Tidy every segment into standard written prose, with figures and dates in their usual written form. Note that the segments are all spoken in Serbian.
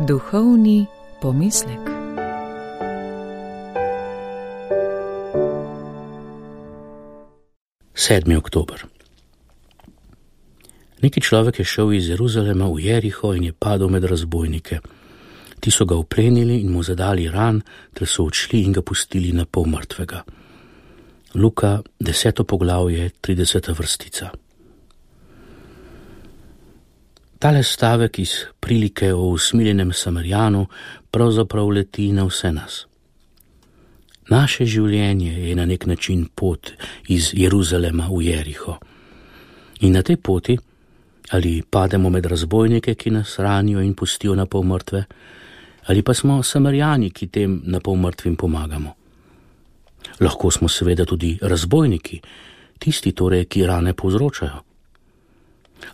Duhovni pomislek. Sedmi oktober. Neki človek je šel iz Jeruzalema v Jeriho in je padel med razbojnike. Ti so ga uplenili in mu zadali ran, ter so odšli in ga pustili na pol mrtvega. Luka, 10. poglavje, 30. vrstica. Tale stavek iz prilike o usmiljenem Samarijanu pravzaprav leti na vse nas. Naše življenje je na nek način pot iz Jeruzalema v Jeriho. In na tej poti ali pademo med razbojnike, ki nas ranijo in pustijo na pol mrtve, ali pa smo Samarijani, ki tem na pol mrtvim pomagamo. Lahko smo seveda tudi razbojniki, tisti torej, ki rane povzročajo.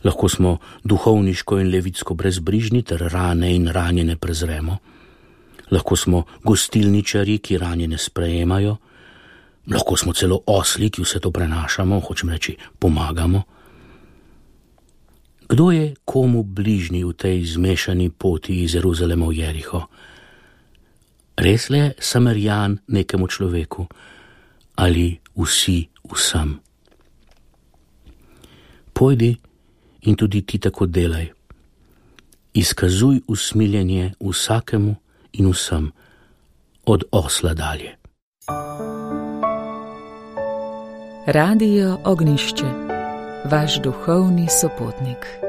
Lahko smo duhovniško in levitsko brezbrižni ter rane in ranjene prezremo. Lahko smo gostilničari, ki ranjene sprejemajo. Lahko smo celo osli, ki vse to prenašamo, hočem reči, pomagamo. Kdo je komu bližnji v tej zmešani poti iz Jeruzalema v Jeriho? Res le Samarijan nekemu človeku ali vsi vsem? Pojdi in tudi ti tako delaj. Izkazuj usmiljenje vsakemu in vsem, od osla dalje. Radio Ognjišče, vaš duhovni sopotnik.